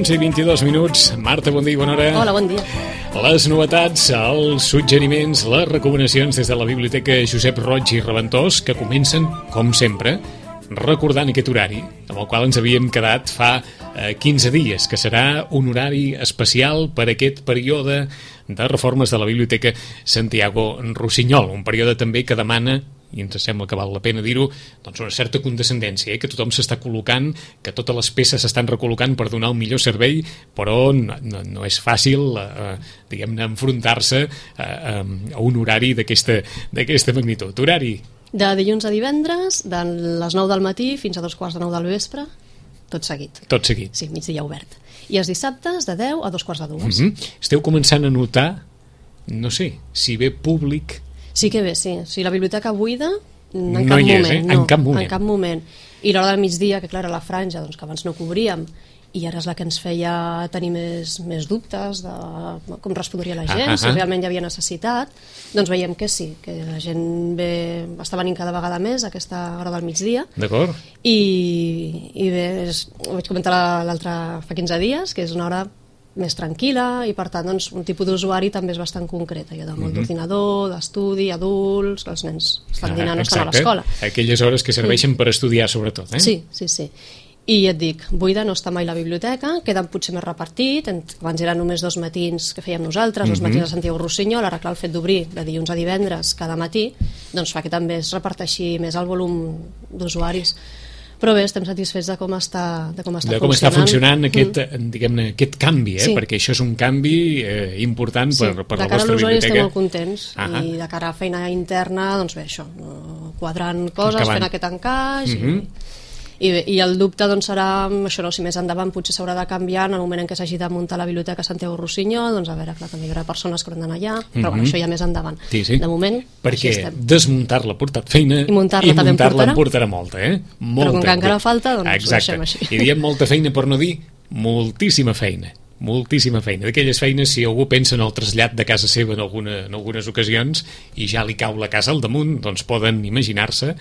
11:22. Marta, bon dia i bona hora. Hola, bon dia. Les novetats, els suggeriments, les recomanacions des de la Biblioteca Josep Roig i Reventós, que comencen, com sempre, recordant aquest horari, amb el qual ens havíem quedat fa 15 dies, que serà un horari especial per aquest període de reformes de la Biblioteca Santiago Rossinyol, un període també que demana, i ens sembla que val la pena dir-ho, doncs una certa condescendència, que tothom s'està col·locant, que totes les peces s'estan recol·locant per donar el millor servei, però no és fàcil, diguem-ne, enfrontar-se a un horari d'aquesta magnitud. Horari de dilluns a divendres, de les 9 del matí fins a 2:15 del vespre, tot seguit. Tot seguit. Sí, migdia obert. I els dissabtes de 10 a 2:15. Esteu començant a notar, no sé, si ve públic... Sí que bé, sí. Si la biblioteca buida, en no cap hi és, moment. No, en cap moment. En cap moment. I l'hora del migdia, que clar, era la franja, doncs, que abans no cobríem, i ara és la que ens feia tenir més dubtes de com respondria la gent, si realment hi havia necessitat, doncs veiem que sí, que la gent està venint cada vegada més a aquesta hora del migdia. D'acord. I bé, ho vaig comentar fa 15 dies, que és una hora més tranquil·la i per tant doncs, un tipus d'usuari també és bastant concret, allò de molt d'ordinador, d'estudi, adults, que els nens estan dinant o estan a l'escola. Aquelles hores que serveixen per estudiar sobretot, eh? Sí. I et dic, buida no està mai la biblioteca, queden potser més repartit, abans eren només 2 matins que fèiem nosaltres, 2 matins a Santiago Rossinyol, ara clar el fet d'obrir de dilluns a divendres cada matí, doncs fa que també es reparteixi més el volum d'usuaris. Però bé, estem satisfets de com està funcionant aquest, diguem-ne, aquest canvi, sí. Perquè això és un canvi important per la vostra biblioteca. De cara a l'usuari estem molt contents i de cara a feina interna, doncs bé, això, quadrant coses, fent aquest encaix i el dubte doncs serà això, no, si més endavant potser s'haurà de canviar en el moment en què s'hagi de muntar la biblioteca Santiago Rossinyol, doncs a veure, clar, també hi haurà persones que hauran d'anar allà, però bueno, això ja més endavant. Sí. De moment, perquè desmuntar-la ha portat feina i muntar-la en portarà molta, molta. Però com que encara falta, doncs ho deixem així. I diem molta feina per no dir moltíssima feina. D'aquelles feines, si algú pensa en el trasllat de casa seva en algunes ocasions i ja li cau la casa al damunt, doncs poden imaginar-se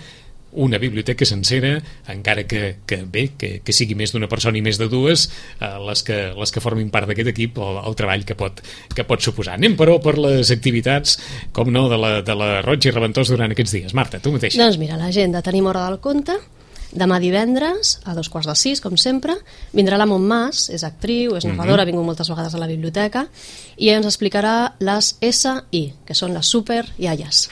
una biblioteca sencera, encara que sigui més d'una persona i més de dues, les que formin part d'aquest equip, el treball que pot suposar. Anem, però, per les activitats, com no, de la Roig i Reventós durant aquests dies. Marta, tu mateixa. Doncs mira, l'agenda, tenim Hora del Conte, demà divendres, a 5:45, com sempre, vindrà la Montmàs, és actriu, és narradora, ha vingut moltes vegades a la biblioteca, i ens explicarà les SI, que són les super iaies.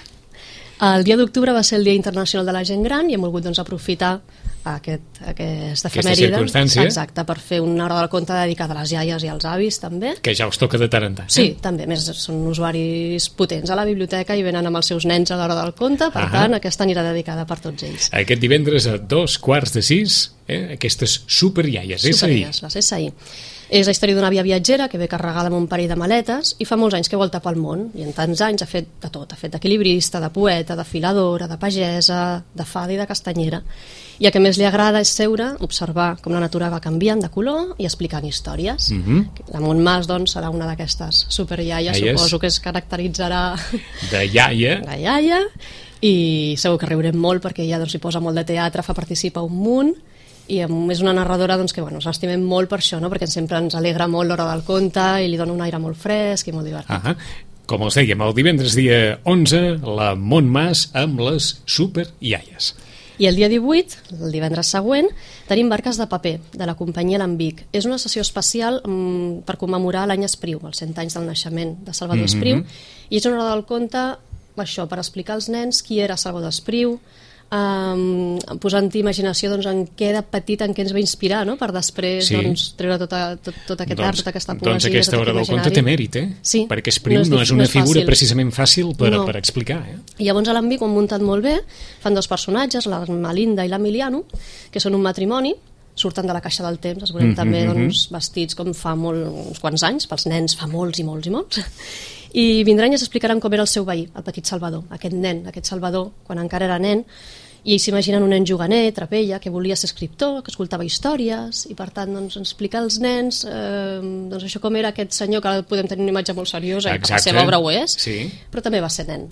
El dia d'octubre va ser el Dia Internacional de la Gent Gran i hem volgut doncs, aprofitar aquesta efemèride, exacte, per fer una hora del conte dedicada a les iaies i als avis també. Que ja us toca de tant en tant. Sí, també, més són usuaris potents a la biblioteca i venen amb els seus nens a l'hora del conte, per tant aquesta anirà dedicada per tots ells. Aquest divendres a 5:45, aquestes superiaies, superiaies, les SI. És la història d'una àvia viatgera que ve carregada amb un parell de maletes i fa molts anys que volta pel món i en tants anys ha fet de tot, ha fet d'equilibrista, de poeta, de filadora, de pagesa, de fada i de castanyera. I el que més li agrada és seure, observar com la natura va canviant de color i explicant històries. La Montmàs, doncs, serà una d'aquestes superiaies, suposo que es caracteritzarà de iaia. De iaia, i segur que riurem molt perquè ella doncs, hi posa molt de teatre, fa participar un munt, i és una narradora doncs, que bueno, l'estimem molt per això, no? Perquè sempre ens alegra molt l'hora del conte i li dona un aire molt fresc i molt divertit. Com els dèiem, el divendres dia 11, la Montmàs amb les superiaies. I el dia 18, el divendres següent, tenim Barques de paper, de la companyia Lambic. És una sessió especial per commemorar l'any Espriu, els 100 anys del naixement de Salvador Espriu, i és una hora del conte això, per explicar als nens qui era Salvador Espriu, posant-hi imaginació doncs, en què de petit en què ens va inspirar, no? Per després doncs, treure tot aquest art, tota aquesta poesia, doncs aquesta hora del conte té mèrit, sí, perquè Espriu no és una figura precisament fàcil per explicar. I llavors a l'Ambic ho han muntat molt bé, fan 2 personatges, la Melinda i l'Emiliano, que són un matrimoni, surten de la caixa del temps, es veurem també doncs, vestits com fa uns quants anys, pels nens fa molts i molts i molts, i vindran i ens explicaran com era el seu veí, el petit Salvador, aquest Salvador, quan encara era nen, i ells s'imaginen un nen juganer, trapella, que volia ser escriptor, que escoltava històries, i per tant doncs, explicar als nens doncs, això com era aquest senyor, que ara podem tenir una imatge molt seriosa, i que la seva obra ho és, però també va ser nen.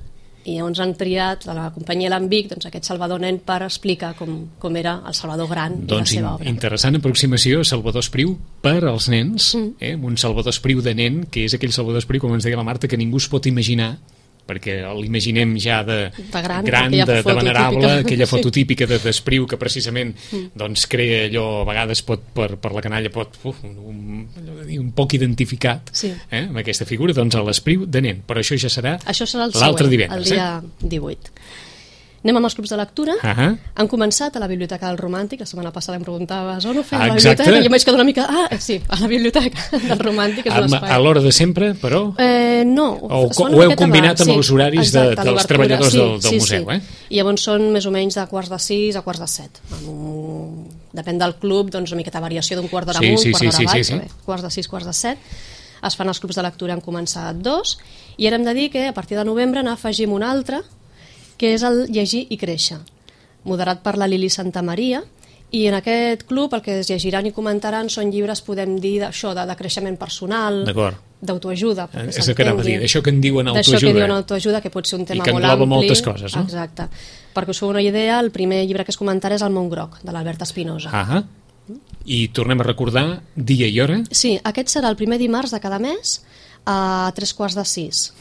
I llavors han triat a la companyia Lambic doncs, aquest Salvador nen per explicar com era el Salvador gran i la seva obra. Interessant aproximació, Salvador Espriu per als nens, un Salvador Espriu de nen, que és aquell Salvador Espriu, com ens deia la Marta, que ningú es pot imaginar, perquè l'imaginem ja de gran, de venerable, aquella foto típica d'Espriu que precisament doncs, crea allò, a vegades pot per la canalla un poc identificat amb aquesta figura, doncs a l'Espriu de nen, però això ja serà l'altre divendres. El dia 18. Anem amb els clubs de lectura. Han començat a la Biblioteca del Romàntic. La setmana passada em preguntaves on ho fem a la biblioteca, i jo m'he quedat una mica... sí, a la Biblioteca del Romàntic, és un espai. A l'hora de sempre, però? No. Ho heu combinat amb els horaris dels treballadors del museu, I llavors són més o menys de 5:45 a 5:47. Depèn del club, doncs una miqueta variació d'un quart d'hora amunt, quart d'hora avall, 5:45, 5:47. Es fan els clubs de lectura, han començat 2, i ara hem de dir que a partir de novembre n'afegim un altre, que és el Llegir i Créixer, moderat per la Lili Santamaria, i en aquest club el que es llegiran i comentaran són llibres, podem dir, d'això, de creixement personal, d'autoajuda. És el que anava a dir, d'això que en diuen autoajuda. D'això que diuen autoajuda, que pot ser un tema molt ampli. I que engloba moltes coses, no? Exacte. Perquè us feu una idea, el primer llibre que es comentarà és El món groc, de l'Albert Espinosa. I tornem a recordar dia i hora? Sí, aquest serà el primer dimarts de cada mes, a 5:45.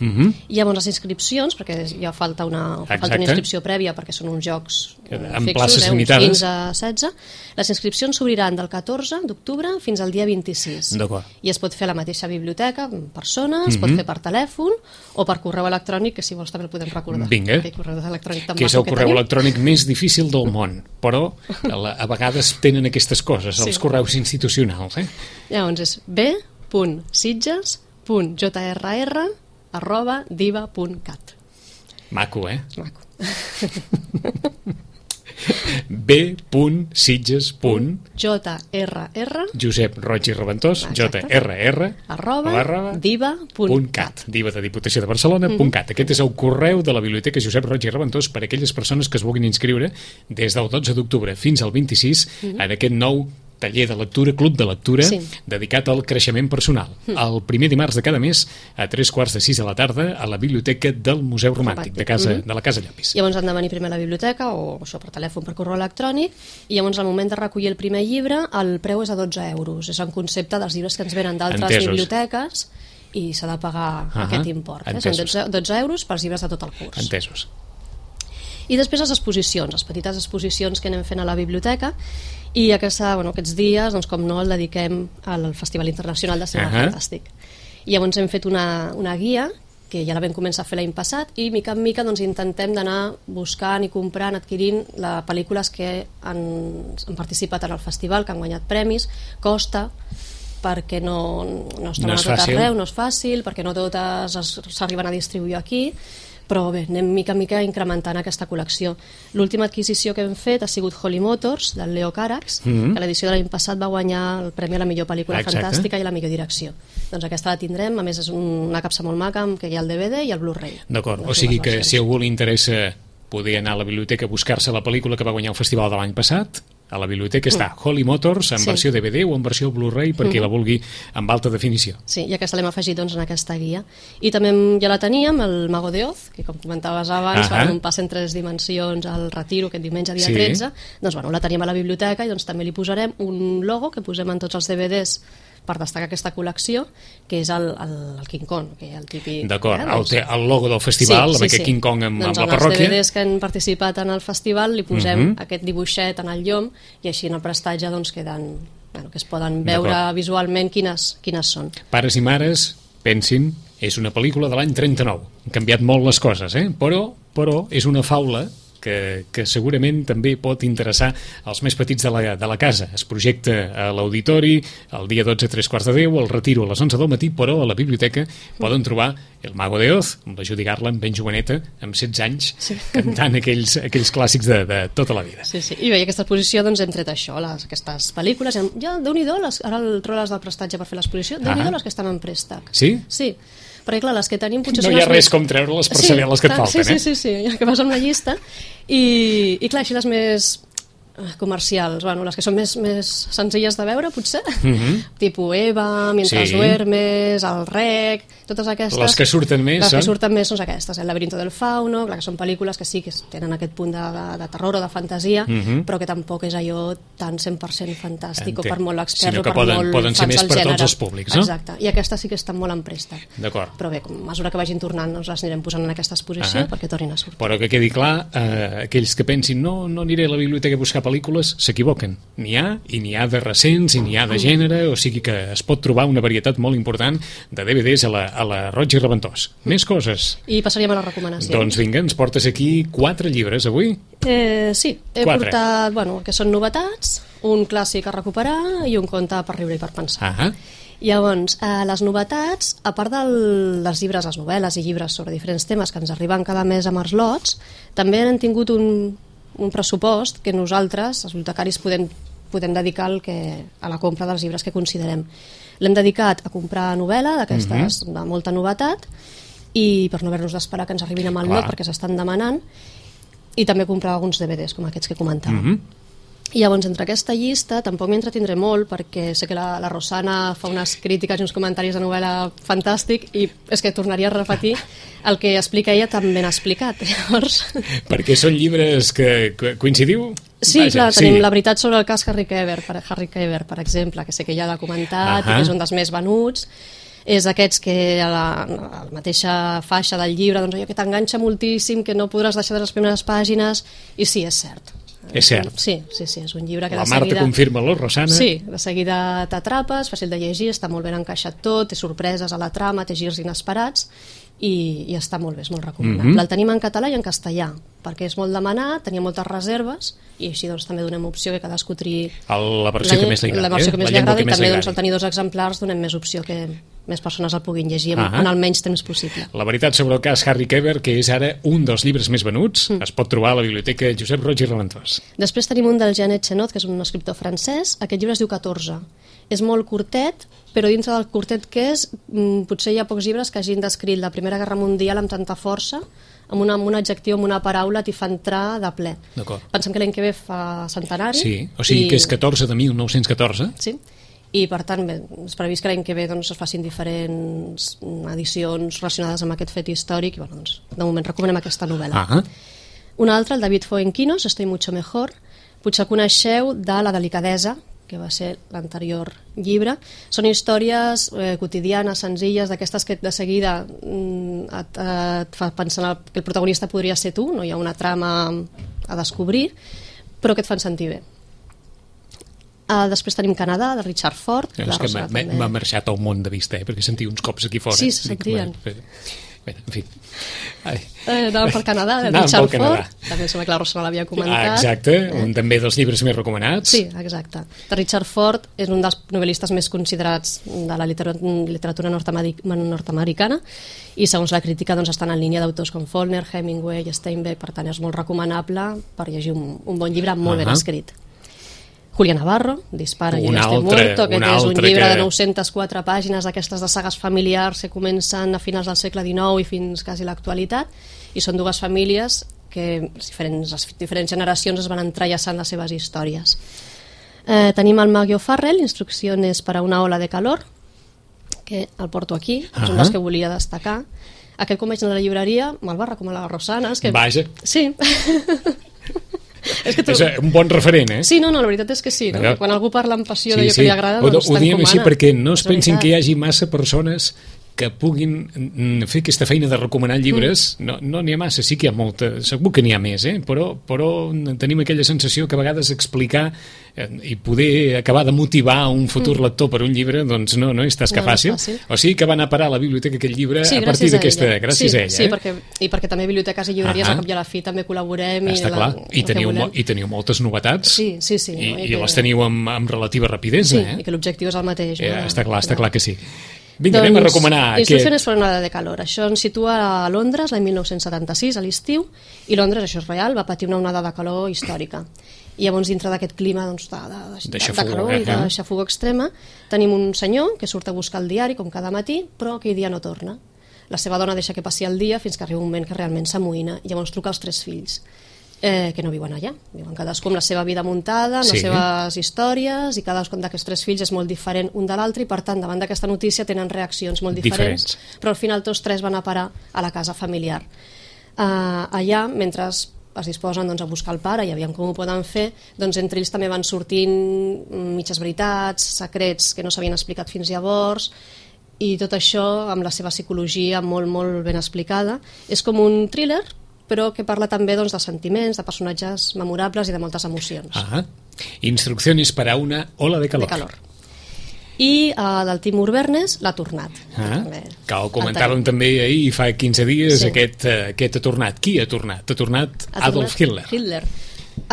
I llavors les inscripcions, perquè ja falta una inscripció prèvia perquè són uns jocs amb places limitades, 15 a 16. Les inscripcions s'obriran del 14 d'octubre fins al dia 26. I es pot fer a la mateixa biblioteca en persona, es pot fer per telèfon o per correu electrònic, que si vols també el podem recordar. Vinga, que és el correu electrònic més difícil del món, però a vegades tenen aquestes coses, els correus institucionals. Llavors és b.sitges.jrr@diva.cat. Maco, Maco. b.sitges.jrr Josep Roig i Reventós, jrr@diva.cat, Diva de Diputació de Barcelona.cat. Aquest és el correu de la Biblioteca Josep Roig i Reventós per a aquelles persones que es vulguin inscriure des del 12 d'octubre fins al 26 en aquest nou taller de lectura, club de lectura, dedicat al creixement personal. El primer dimarts de cada mes, a 5:45 de la tarda, a la biblioteca del Museu Romàntic, de la Casa Llapis. Llavors han de venir primer a la biblioteca, o això per telèfon, per correu electrònic, i llavors al moment de recollir el primer llibre, el preu és a 12 euros. És un concepte dels llibres que ens venen d'altres biblioteques, i s'ha de pagar aquest import. Són 12 euros pels llibres de tot el curs. Entesos. I després les exposicions, les petites exposicions que anem fent a la biblioteca, i aquests dies, doncs, com no, el dediquem al Festival Internacional de Cinema Fantàstic. I llavors hem fet una guia, que ja la vam començar a fer l'any passat, i mica en mica doncs, intentem d'anar buscant i comprant, adquirint les pel·lícules que han participat en el festival, que han guanyat premis. Costa, perquè no estan a tot arreu, no és fàcil, perquè no totes s'arriben a distribuir aquí, però bé, anem mica en mica incrementant aquesta col·lecció. L'última adquisició que hem fet ha sigut Holly Motors, del Leo Carax, que l'edició de l'any passat va guanyar el premi a la millor pel·lícula fantàstica i a la millor direcció. Doncs aquesta la tindrem, a més és una capsa molt maca, que hi ha el DVD i el Blu-ray. D'acord, o sigui que si a algú li interessa poder anar a la biblioteca a buscar-se la pel·lícula que va guanyar el festival de l'any passat, a la biblioteca està Holly Motors en versió DVD o en versió Blu-ray per qui la vulgui amb alta definició. Sí, i aquesta l'hem afegit en aquesta guia. I també ja la teníem, el Mago de Oz, que com comentaves abans, un pas en 3 dimensions al Retiro, aquest diumenge dia 13, doncs la teníem a la biblioteca i també li posarem un logo que posem en tots els DVDs per destacar aquesta col·lecció, que és el King Kong, que és el típic... D'acord, el logo del festival, amb aquest King Kong amb la parròquia. Doncs als DVDs que han participat en el festival li posem aquest dibuixet en el llom i així en el prestatge queden, que es poden veure visualment quines són. Pares i mares, pensin, és una pel·lícula de l'any 39. Han canviat molt les coses, però és una faula que segurament també pot interessar als més petits de la casa. Es projecta a l'auditori el dia 12 a 3:15, el Retiro a les 11 del matí, però a la biblioteca poden trobar El Mago de Oz, amb la Judy Garland, ben joveneta, amb 16 anys, cantant aquells clàssics de tota la vida. Sí. I bé, aquesta exposició hem tret això, aquestes pel·lícules. Ja, Déu-n'hi-do, ara el troles del prestatge per fer l'exposició, Déu-n'hi-do les que estan en préstec. Sí? Sí. Perquè clar, les que tenim potser no hi ha res com treure-les per saber les que et falten. Sí, ja que vas amb la llista i clar, així les més comercials, bueno, les que són més senzilles de veure, potser, tipus Eva, Mientras duermes, El Rec, totes aquestes... Les que surten més, les que surten més són aquestes, El laberinto del fauno, clar que són pel·lícules que sí que tenen aquest punt de terror o de fantasia, però que tampoc és allò tan 100% fantàstic o per molt experts o per poden ser més per tots els públics, no? Exacte, i aquestes sí que estan molt en préstec. D'acord. Però bé, a mesura que vagin tornant, les anirem posant en aquesta exposició perquè tornin a sortir. Però que quedi clar, aquells que pensin no aniré a la biblioteca a buscar pel·lícules, s'equivoquen. N'hi ha, i n'hi ha de recents, i n'hi ha de gènere, o sigui que es pot trobar una varietat molt important de DVDs a la Roig i Reventós. Més coses. I passaríem a les recomanacions. Doncs vinga, ens portes aquí 4 llibres avui? Sí, he portat, que són novetats, un clàssic a recuperar i un conte per riure i per pensar. Llavors, les novetats, a part dels llibres, les novel·les i llibres sobre diferents temes que ens arriben cada mes amb els lots, també han tingut un pressupost que nosaltres, els bibliotecaris, podem dedicar a la compra dels llibres que considerem. L'hem dedicat a comprar novel·la, d'aquestes de molta novetat, i per no haver-nos d'esperar que ens arribin amb el lot, perquè s'estan demanant, i també comprar alguns DVDs, com aquests que comentàvem. I llavors, entre aquesta llista, tampoc m'hi entretindré molt, perquè sé que la Rosana fa unes crítiques i uns comentaris de novel·la fantàstic, i és que tornaria a repetir el que explica ella tan ben explicat. Llavors... Perquè són llibres que coincidiu? Sí, clar, tenim La veritat sobre el cas Harry Keber, per exemple, que sé que ja l'ha comentat, i que és un dels més venuts. És aquests que a la mateixa faixa del llibre, doncs allò que t'enganxa moltíssim, que no podràs deixar de les primeres pàgines, i sí, és cert. És cert. Sí, és un llibre que la Marta confirma-lo, Rosana. Sí, de seguida t'atrapes, fàcil de llegir, està molt ben encaixat tot, té sorpreses a la trama, té girs inesperats, i està molt bé, és molt recomanable. El tenim en català i en castellà, perquè és molt demanat, tenia moltes reserves, i així doncs també donem opció que cadascú triï la versió que més li agrada. La versió que més li agrada, i també doncs, al tenir 2 exemplars donem més opció que més persones el puguin llegir en el menys temps possible. La veritat sobre el cas Harry Keber, que és ara un dels llibres més venuts, es pot trobar a la biblioteca Josep Roig i Reventós. Després tenim un del Jean Echenot, que és un escriptor francès. Aquest llibre es diu 14. És molt curtet, però dintre del curtet que és, potser hi ha pocs llibres que hagin descrit la Primera Guerra Mundial amb tanta força, amb un adjectiu, amb una paraula, t'hi fa entrar de ple. Pensem que l'any que ve fa centenari. Sí, o sigui que és 14 de 1914. Sí, i per tant és previst que l'any que ve es facin diferents edicions relacionades amb aquest fet històric, i doncs, de moment recomanem aquesta novel·la. Una altra, el David Fuenquinos, Estoy mucho mejor. Potser coneixeu de La delicadesa, que va ser l'anterior llibre. Són històries quotidianes, senzilles, d'aquestes que de seguida et fa pensar que el protagonista podria ser tu, no hi ha una trama a descobrir, però que et fan sentir bé. Després tenim Canadà, de Richard Ford. És que m'ha marxat el món de vista, perquè sentia uns cops aquí fora. Sí, se sentien. Bé, en fi. Anàvem pel Canadà, de Richard Ford. També sembla que la Rosana l'havia comentat. Exacte, un també dels llibres més recomanats. Sí, exacte. De Richard Ford és un dels novel·listes més considerats de la literatura nord-americana, i segons la crítica estan en línia d'autors com Faulkner, Hemingway, Steinbeck, per tant és molt recomanable per llegir un bon llibre molt ben escrit. Julia Navarro, Dispara, yo estoy muerto, que és un llibre de 904 pàgines d'aquestes de sagues familiars que comencen a finals del segle XIX i fins quasi l'actualitat, i són 2 famílies que les diferents generacions es van entrellaçant les seves històries. Tenim el Maggie O'Farrell, Instrucciones para una ola de calor, que el porto aquí, és un dels que volia destacar. Aquest, com vaig anar a la llibreria, me'l va recomanar la Rosana. Vaja. Sí. És un bon referent, eh? Sí, no, la veritat és que sí. Quan algú parla amb passió d'allò que li agrada, doncs ho diem així perquè no es pensin que hi hagi massa persones que puguin fer aquesta feina de recomanar llibres. No n'hi ha massa, sí que hi ha molta, segur que n'hi ha més, però tenim aquella sensació que a vegades explicar i poder acabar de motivar un futur lector per un llibre, doncs no és tasca fàcil. O sigui que va anar a parar a la biblioteca aquest llibre a partir d'aquesta, gràcies a ella. Sí, perquè també biblioteques i llibreries al cap i a la fi també col·laborem. Està clar, i teniu moltes novetats. Sí. I les teniu amb relativa rapidesa. Sí, i que l'objectiu és el mateix. Està clar que sí. Vinga, anem a recomanar aquest. Instrucciones para una ola de calor. Això ens situa a Londres l'any 1976, a l'estiu, i Londres, això és real, va patir una onada de calor històrica. I llavors, dintre d'aquest clima de calor i de xafogor extrema, tenim un senyor que surt a buscar el diari, com cada matí, però aquell dia no torna. La seva dona deixa que passi el dia fins que arriba un moment que realment s'amoïna, i llavors truca als 3 fills. que no viuen allà. Viuen cadascú amb la seva vida muntada, amb les seves històries, i cadascun d'aquests 3 fills és molt diferent un de l'altre, i per tant, davant d'aquesta notícia tenen reaccions molt diferents. Però al final tots 3 van a parar a la casa familiar. Allà, mentre es disposen a buscar el pare i aviam com ho poden fer, doncs entre ells també van sortint mitges veritats, secrets que no s'havien explicat fins llavors, i tot això amb la seva psicologia molt, molt ben explicada. És com un thriller, però que parla també de sentiments, de personatges memorables i de moltes emocions. Instrucciones para una ola de calor. I del Timur Vernes, L'ha tornat. Que ho comentàvem també ahir, fa 15 dies, aquest ha tornat. Qui ha tornat? Ha tornat Adolf Hitler.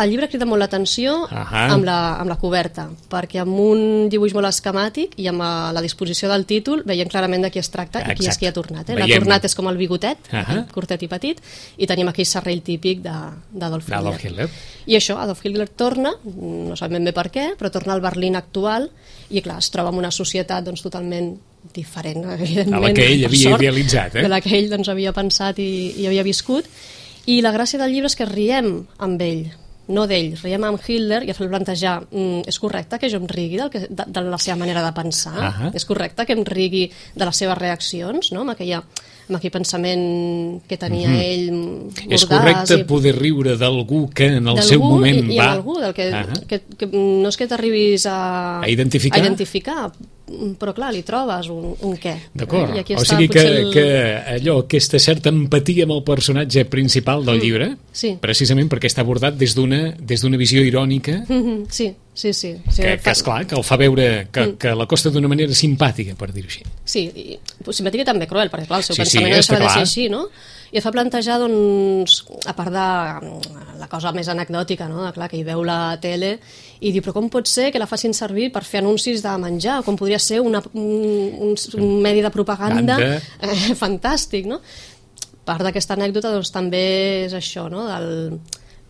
El llibre crida molt l'atenció amb la coberta, perquè amb un dibuix molt esquemàtic i amb la disposició del títol veiem clarament de qui es tracta i qui és qui ha tornat. L'ha tornat és com el bigotet, curtet i petit, i tenim aquell serrell típic d'Adolf Hitler. I això, Adolf Hitler torna, no sabem ben bé per què, però torna al Berlín actual, i clar, es troba en una societat totalment diferent, evidentment, a la que ell havia idealitzat, de la que ell havia pensat i havia viscut. I la gràcia del llibre és que riem amb ell, no d'ell, riem amb Hitler, i a fer plantejar, és correcte que jo em rigui de la seva manera de pensar? És correcte que em rigui de les seves reaccions, no? amb aquell pensament que tenia ell mordàs. És correcte poder riure d'algú que en el seu moment va... I algú que no és que t'arribis a identificar, però clar, li trobes un què. D'acord, o sigui que allò, aquesta certa empatia amb el personatge principal del llibre, precisament perquè està abordat des d'una visió irònica, sí. Que esclar, que el fa veure que l'acosta d'una manera simpàtica, per dir-ho així. Sí, i simpàtica i també cruel, perquè clar, el seu pensament no deixa de ser així, no? I et fa plantejar, doncs, a part de la cosa més anecdòtica, no? Clar, que hi veu la tele i diu, però com pot ser que la facin servir per fer anuncis de menjar? Com podria ser un medi de propaganda fantàstic, no? Part d'aquesta anècdota, doncs, també és això, no?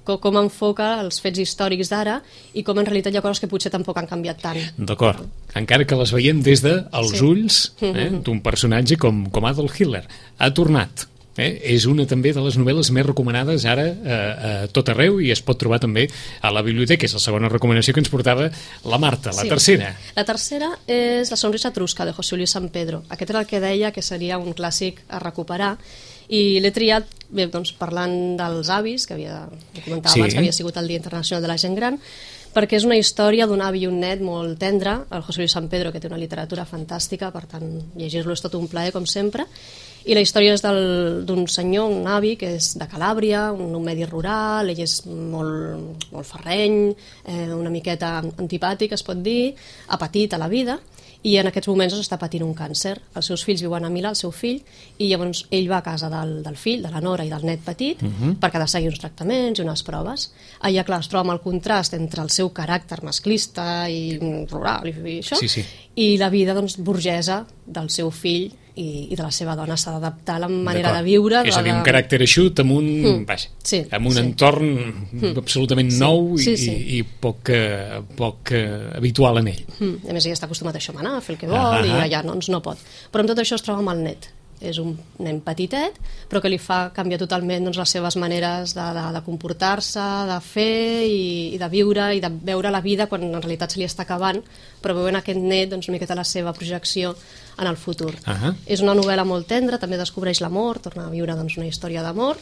Com enfoca els fets històrics d'ara i com en realitat hi ha coses que potser tampoc han canviat tant. D'acord, encara que les veiem des dels ulls d'un personatge com Adolf Hitler. Ha tornat. És una també de les novel·les més recomanades ara a tot arreu i es pot trobar també a la biblioteca. És la segona recomanació que ens portava la Marta. La tercera? La tercera és La sonrisa etrusca, de José Luis San Pedro. Aquest era el que deia que seria un clàssic a recuperar, i l'he triat parlant dels avis, que comentava abans que havia sigut el Dia Internacional de la Gent Gran, perquè és una història d'un avi i un net molt tendre, el José Luis San Pedro, que té una literatura fantàstica, per tant, llegir-lo és tot un plaer, com sempre, i la història és d'un senyor, un avi, que és de Calàbria, un medi rural, ell és molt ferreny, una miqueta antipàtic, es pot dir, apatit a la vida, i en aquests moments està patint un càncer. Els seus fills viuen a Milà, el seu fill, i llavors ell va a casa del fill, de la nora i del net petit, perquè ha de seguir uns tractaments i unes proves. Allà, clar, es troba amb el contrast entre el seu caràcter masclista i rural i això, i la vida burgesa del seu fill i de la seva dona. S'ha d'adaptar a la manera de viure. És a dir, un caràcter eixut amb un entorn absolutament nou i poc habitual en ell. A més, ell està acostumat a això, a fer el que vol, i allà no pot. Però amb tot això es troba amb el net. És un nen petitet, però que li fa canviar totalment les seves maneres de comportar-se, de fer i de viure i de veure la vida quan en realitat se li està acabant, però veuen aquest net una miqueta la seva projecció en el futur. És una novel·la molt tendra, també descobreix l'amor, torna a viure una història d'amor,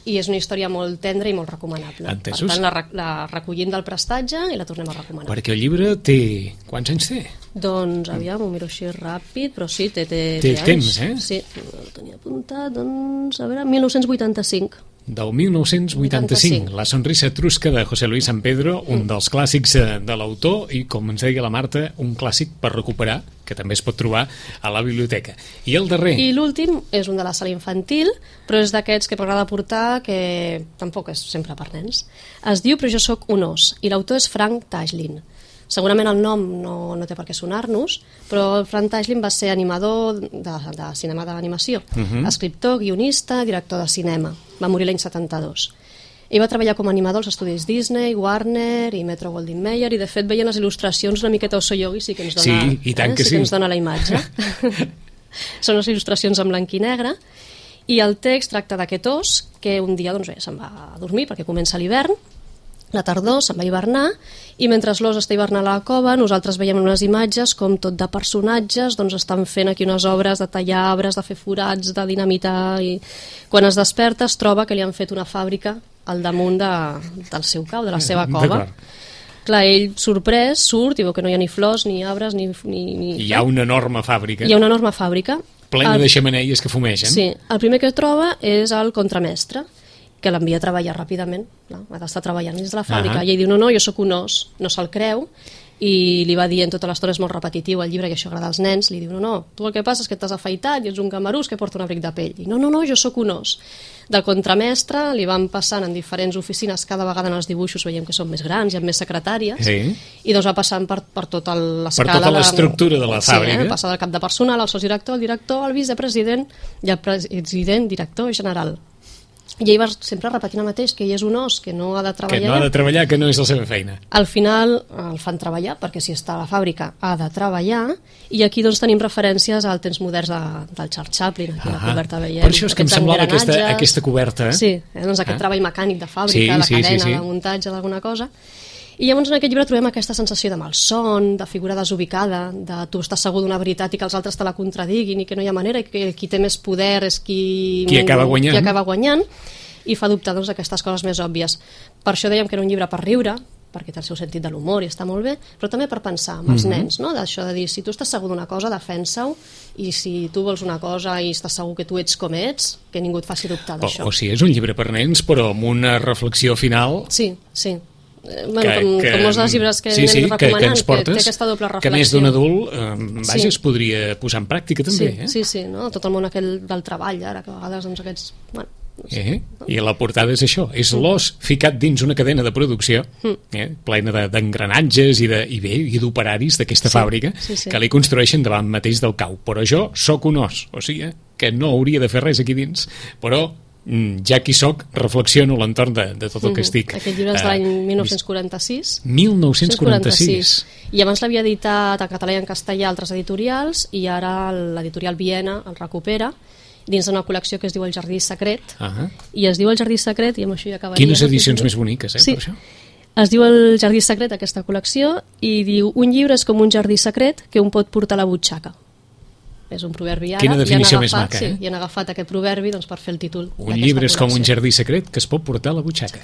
i és una història molt tendra i molt recomanable. Entesos? Per tant, la recollim del prestatge i la tornem a recomanar. Perquè el llibre té... Quants anys té? Doncs, aviam, ho miro així ràpid, però sí, té temps, Sí, el tenia apuntat, a veure, 1985. Del 1985, La sonrisa etrusca de José Luis San Pedro, un dels clàssics de l'autor i, com ens deia la Marta, un clàssic per recuperar, que també es pot trobar a la biblioteca. I el darrer? I l'últim és un de la sala infantil, però és d'aquests que m'agrada portar, que tampoc és sempre per nens. Es diu Però jo sóc un os, i l'autor és Frank Tashlin. Segurament el nom no té per què sonar-nos, però Frank Tashlin va ser animador de cinema d'animació, escriptor, guionista, director de cinema. Va morir l'any 72. Ell va treballar com a animador als estudis Disney, Warner i Metro-Goldwyn-Mayer, i de fet veient les il·lustracions una miqueta Osoyogi sí que ens dona, que ens dona la imatge. Són les il·lustracions en blanc i negre, I el text tracta d'aquest os que un dia doncs, se'n va a dormir perquè comença l'hivern, la tardor, se'n va hivernar, i mentre l'os està hivernant a la cova, nosaltres veiem unes imatges com tot de personatges doncs estan fent aquí unes obres de tallar arbres, de fer forats, de dinamitar, i quan es desperta es troba que li han fet una fàbrica al damunt del seu cau, de la seva cova. Clar, ell sorprès surt i veu que no hi ha ni flors, ni arbres, ni... Hi ha una enorme fàbrica. Hi ha una enorme fàbrica. Plena de xemeneies que fumegen. Sí, el primer que troba és el contramestre, que l'envia a treballar ràpidament. No? Ha d'estar treballant dins de la fàbrica. I ell diu, no, jo sóc un os. No se'l creu, i li va dient tota l'estona, és molt repetitiu el llibre, que això agrada als nens, li diu, no, tu el que passa és que t'has afaitat i ets un camarús que porta un abric de pell. I no, jo sóc un os. Del contramestre li van passant en diferents oficines, cada vegada en els dibuixos veiem que són més grans, hi ha més secretàries, i doncs va passant per tota l'escala. Per tota l'estructura de la fàbrica. Sí, passa del cap de personal, al sotsdirector, el director, el vicepresident i el president, director general. I ell va sempre repetint el mateix, que ell és un os, que no ha de treballar. Que no ha de treballar, que no és la seva feina. Al final el fan treballar, perquè si està a la fàbrica ha de treballar, i aquí doncs tenim referències al temps moderns del Charles Chaplin, aquí a la coberta veiem. Per això és que em semblava aquesta coberta. Sí, doncs aquest treball mecànic de fàbrica, de cadena, de muntatge d'alguna cosa. I llavors en aquest llibre trobem aquesta sensació de malson, de figura desubicada, de tu estàs segur d'una veritat i que els altres te la contradiguin i que no hi ha manera, i que qui té més poder és qui acaba guanyant, i fa dubtar doncs, aquestes coses més òbvies. Per això dèiem que era un llibre per riure, perquè té el seu sentit de l'humor i està molt bé, però també per pensar amb els nens, no? D'això de dir, si tu estàs segur d'una cosa, defensa-ho, i si tu vols una cosa i estàs segur que tu ets com ets, que ningú et faci dubtar d'això. O sigui, és un llibre per nens, però amb una reflexió final... Sí. Com molts dels llibres que anem recomanant, que ens portes, té aquesta doble reflexió. Que més d'un adult es podria posar en pràctica també. Sí, no? Tot el món aquell del treball ara, que a vegades doncs, aquests... Bueno, no sé. I la portada és això, és l'os ficat dins una cadena de producció plena d'engranatges i d'operaris d'aquesta fàbrica que li construeixen davant mateix del cau. Però jo sóc un os, o sigui que no hauria de fer res aquí dins, però ja que hi soc, reflexiono a l'entorn de tot el que estic. Aquest llibre és de l'any 1946. 1946. I abans l'havia editat en català i en castellà altres editorials, i ara l'editorial Viena el recupera dins d'una col·lecció que es diu El Jardí Secret, i es diu El Jardí Secret, i amb això ja acabaria. Quines edicions més boniques, per això? Es diu El Jardí Secret, aquesta col·lecció, i diu, un llibre és com un jardí secret que un pot portar a la butxaca. És un proverbi ara. Quina definició més maca, i han agafat aquest proverbi doncs, per fer el títol. Un llibre és com un jardí secret que es pot portar a la butxaca.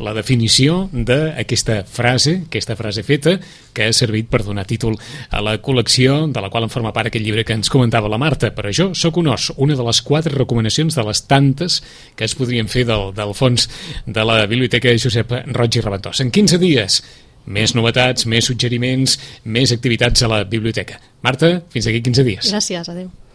La definició d'aquesta frase feta, que ha servit per donar títol a la col·lecció de la qual en forma part aquest llibre que ens comentava la Marta. Però jo sóc un os, una de les 4 recomanacions de les tantes que es podrien fer del fons de la Biblioteca Josep Roig i Raventós. En 15 dies, més novetats, més suggeriments, més activitats a la biblioteca. Marta, fins aquí 15 dies. Gràcies, adeu.